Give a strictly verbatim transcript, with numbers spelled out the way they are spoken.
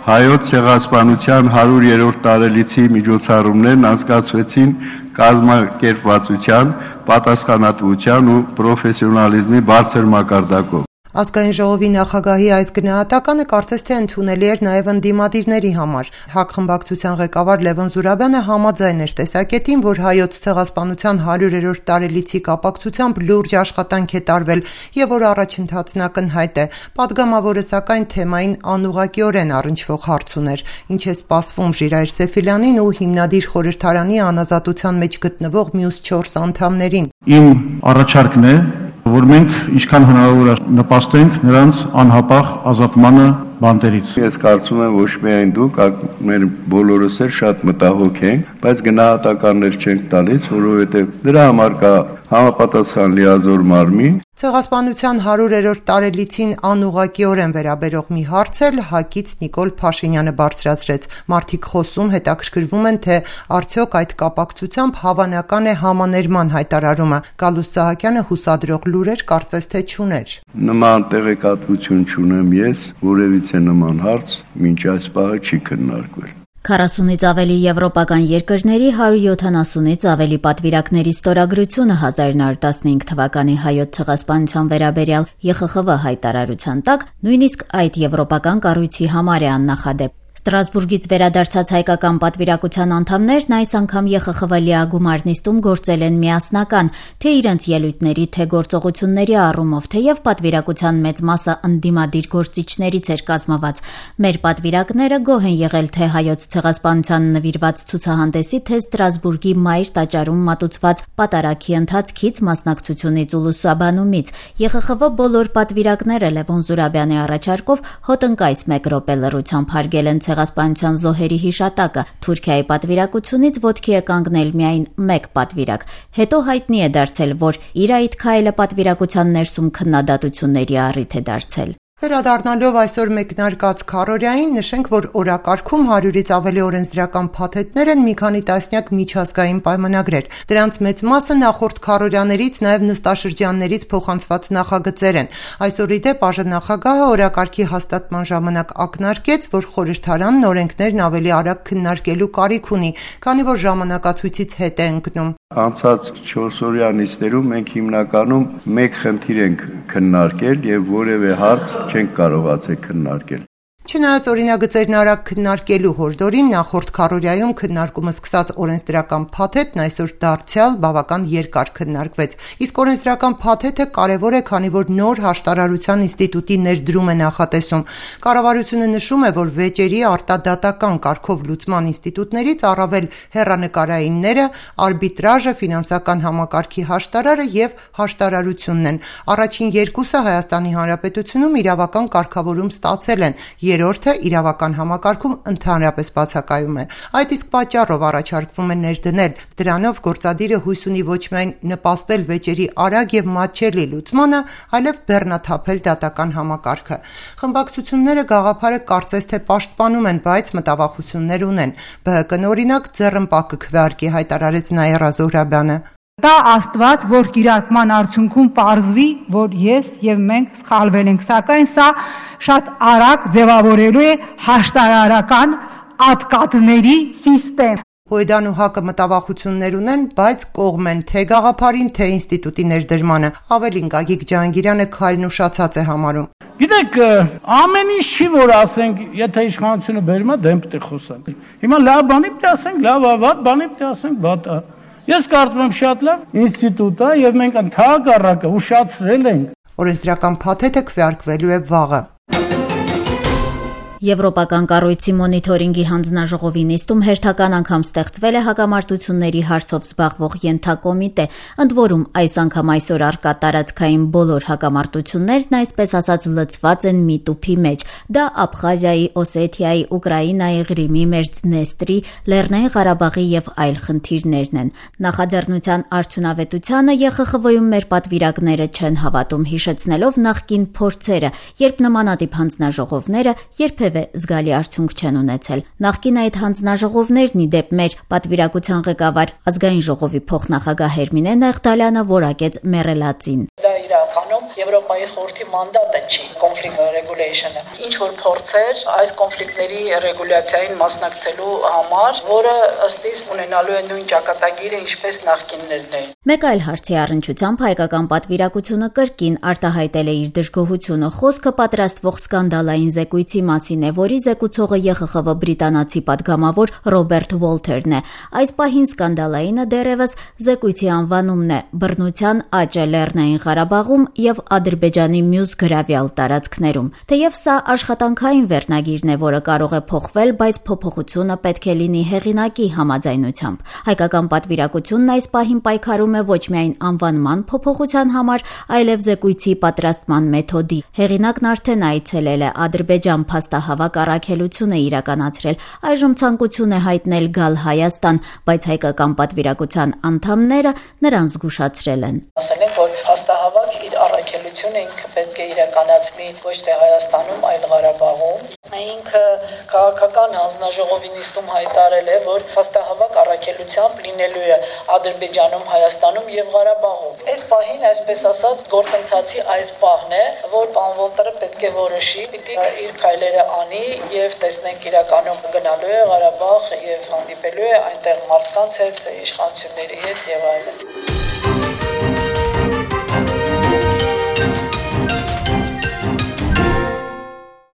Հայոց ցեղասպանության հարյուրերորդ տարելիցի միջոցառումներն անցկացվեցին կազմակերպվածության, պատասխանատվության ու պրոֆեսիոնալիզմի բարձր մակարդակով։ Ազգային ժողովի նախագահի այս գնահատականը կարծես թե ընդունելի էր նաև ընդդիմադիրների համար։ ՀԱԿ խմբակցության ղեկավար Լևոն Զուրաբյանը համաձայն էր տեսակետին, որ հայոց ցեղասպանության հարյուրերորդ տարելիցի կապակցությամբ լուրջ աշխատանք է տարվել եւ որ առաջընթացն ակնհայտ է։ Պատգամավորը սակայն թեմային անուղղակիորեն առնչվող հարց ուներ, ինչ է սպասվում Ժիրայր Սեֆիլյանին ու հիմնադիր խորհրդարանի անազատության մեջ գտնվող մյուս չորս անդամներին։ Իմ առաջարկն է, որ մենք ինչքան հնարավոր է նպաստենք նրանց անհապաղ ազատմանը բանտերից։ Ես կարծում եմ ոչ միայն դուք, մեր բոլորս էլ շատ մտահոգ ենք, բայց գնահատականներ չենք տալիս, որովհետև դրա համար կա համապատասխան լիազոր մարմին։ Ցեղասպանության հարյուրերորդ տարելիցին անուղղակիորեն վերաբերող մի հարց էլ ՀԱԿ-ից Նիկոլ Փաշինյանը բարձրացրեց։ Մարդիկ խոսում, հետաքրքրվում են, թե արդյոք այդ կապակցությամբ հավանական է համաներման հայտարարումը։ Գալուստ Սահակյանը հուսադրող լուրեր կարծես թե չուներ։ Նման տեղեկատվություն չունեմ ես, որևիցե նման հարց մինչ այս պահը չի քննարկվել։ քառասունից ավելի եվրոպական երկրների հարյուր յոթանասունից ավելի պատվիրակների ստորագրությունը հազար նորը տասնհինգ թվականի հայոց ցեղասպանության վերաբերյալ ԵԽԽՎ հայտարարության տակ նույնիսկ այդ եվրոպական կառույցի համար է աննախադեպ։ Ստրասբուրգից վերադարձած հայկական պատվիրակության անդամներն այս անգամ ԵԽԽՎ լիագումար նիստում գործել են միասնական, թե իրենց ելույթների, թե գործողությունների առումով, թեև պատվիրակության մեծ մասը ընդդիմադիր գործիչներից էր կազմված։ Մեր պատվիրակները գոհ են եղել թե հայոց ցեղասպանության նվիրված ցուցահանդեսի, թե Ստրասբուրգի մայր տաճարում մատուցված պատարագի ընթացքից, մասնակցությունից ու լուսաբանումից։ ԵԽԽՎ բոլոր պատվիրակները Լևոն Զուրաբյանի առաջարկով հոտնկայս մեկ րոպե լռությամբ հարգել են ցեղասպանության զոհերի հիշատակը։ Թուրքիայի պատվիրակությունից ոտքի է կանգնել միայն մեկ պատվիրակ։ Հետո հայտնի է դարձել, որ իր այդ քայլը պատվիրակության ներսում քննադատությունների առիթ է դարձել։ Վերադառնալով այսօր մեկնարկած քառօրյային, նշենք, որ օրակարգում հարյուրից ավելի օրենսդրական փաթեթներ են մի քանի տասնյակ միջազգային պայմանագրեր։ Դրանց մեծ մասը նախորդ քառօրյաներից, նաև նստաշրջաններից փոխանցված նախագծեր են։ Այսօր ի դեպ ԱԺ-նախագահը օրակարգի հաստատման ժամանակ ակնարկեց, որ խորհրդարանն օրենքներն ավելի արագ քննարկելու կարիք ունի, քանի որ ժամանակացույցից հետ է ընկնում։ Անցած չորսօրյա նիստերում մենք հիմնականում մեկ խնդիր ենք քննարկել եւ որևէ հարց չենք կարողացել քննարկել։ Չնայած օրինագծերն արագ քննարկելու հորդորին, նախորդ քառօրյայում քննարկումը սկսած օրենսդրական փաթեթն այսօր դարձյալ բավական երկար քննարկվեց։ Իսկ օրենսդրական փաթեթը կարևոր է, քանի որ նոր հաշտարարության ինստիտուտի ներդրում է նախատեսում։ Կառավարությունը նշում է, որ վեճերի արտադատական կարգով լուծման ինստիտուտներից առավել հեռանկարայինները, արբիտրաժը, ֆինանսական համակարգի հաշտարարը եւ հաշտարարությունն են։ Առաջին երկուսը Հայաստանի Հանրապետությունում իրավական կարգավորում ստացել են։ Երրորդը իրավական համակարգում ընդհանրապես բացակայում է։ Այդ իսկ պատճառով առաջարկվում է ներդնել։ Դրանով գործադիրը հույս ունի ոչ միայն նպաստել վեճերի արագ եւ մատչելի լուծմանը, այլև բեռնաթափել դատական համակարգը։ Խմբակցությունները գաղափարը կարծես թե պաշտպանում են, բայց մտավախություններ ունեն։ ԲՀԿ-ն օրինակ ձեռնպահ կքվեարկի, հայտարարեց Նաիրա Զոհրաբյանը։ Դա Աստված, որ կիրակման արդյունքում պարզվի, որ ես եւ մենք սխալվել ենք, սակայն սա շատ արագ ձևավորելու է հաշտարարական ատկատների սիստեմ։ Հույդան ու ՀԱԿ-ը մտավախություններ ունեն, բայց կողմ են թե գաղափարին, թե ինստիտուտի ներդրմանը։ Ավելին Գագիկ Ջահանգիրյանը քայլն ուշացած է համարում։ Գիտեք, ամեն ինչ չի, որ ասենք, եթե իշխանությունը բերում է, դեմ պետք է խոսանք։ Հիմա լավ բանի պետք է ասենք, լավ է, վատ բանի պետք է ասենք, վատ է։ Ես կարծում եմ շատ լավ ինստիտուտ է եւ մենք ընդհանրակը ուշացրել ենք։ Օրենսդրական փաթեթը քվեարկվելու է վաղը։ Եվրոպական կառույցի մոնիթորինգի հանձնաժողովի նիստում հերթական անգամ ստեղծվել է հակամարտությունների հարցով զբաղվող ենթակոմիտե, ընդ որում այս անգամ այսօր առկա տարածքային բոլոր հակամարտություններն այսպես ասած լցված են մի տուփի մեջ։ Դա Աբխազիայի, Օսեթիայի, Ուկրաինայի, Ղրիմի, Մեծդնեստրի, Լեռնային Ղարաբաղի եւ այլ խնդիրներն են։ Նախաձեռնության արդյունավետությանը ԵԽԽՎ-ում մեր պատվիրակները չեն հավատում, հիշեցնելով նախկին փորձերը, երբ նմանատիպ հանձնաժողովները երբևէ զգալի արդյունք չեն ունեցել։ Նախկին այդ հանձնաժողովներն ի դեպ մեր պատվիրակության ղեկավար ազգային ժողովի փոխնախագահ Հերմինե Նեղդալյանը որակեց մեռելածին։ Դա իրականում Եվրոպայի խորհրդի մանդատը չի conflict regulation-ը։ Ինչ որ փորձեր այս կոնֆլիկտների ռեգուլյացիային մասնակցելու համար, որը ըստ իս ունենալու է նույն ճակատագիրը, ինչպես նախկիններն էին։ Մեկ այլ հարցի առնչությամբ հայկական պատվիրակությունը կրկին արտահայտել է իր դժգոհությունը, խոսքը պատրաստվող սկանդալային զեկույցի մասին է, որի զեկուցողը Ե Խ Խ V բրիտանացի պատգամավոր Ռոբերտ Ուոլթերն է։ Այս պահին սկանդալայինը դեռևս զեկույցի անվանումն է՝ բռնության աճը Լեռնային Ղարաբաղում եւ Ադրբեջանի մյուս գրավյալ տարածքներում։ Թեև սա աշխատանքային վերնագիրն է, որը կարող է փոխվել, բայց փոփոխությունը պետք է լինի հեղինակի համաձայնությամբ։ Հայկական պատվիրակությունն այս պահին պայքարում է ոչ միայն անվանման փոփոխության համար, այլև զեկույցի պատրաստման մեթոդի։ Հեղինակն արդեն այցելել է Ադրբեջան, փաստահավաք առաքելություն է իրականացրել։ Այժմ ցանկություն է հայտնել գալ Հայաստան, բայց հայկական պատվիրակության անդամները նրան զգուշացրել են։ Ասել են, որ փաստահավաք իր առաքելությունը ինքը պետք է իրականացնի ոչ թե Հայաստանում, այլ Ղարաբաղում։ Ինքը քաղաքական հանձնաժողովի նիստում հայտարարել է, որ փաստահավաք առաքելությամբ լինելու է Ադրբեջանում, Հայաստանում եւ Ղարաբաղում։ Այս պահին, այսպես ասած, գործընթացի այս պահն է, որ պարոն Ուոլթերը պետք է որոշի, պիտի իր քայլերը անի եւ տեսնենք իրականում գնալու է Ղարաբաղ եւ հանդիպելու է այնտեղ մարդկանց հետ, իշխանությունների հետ եւ այլն։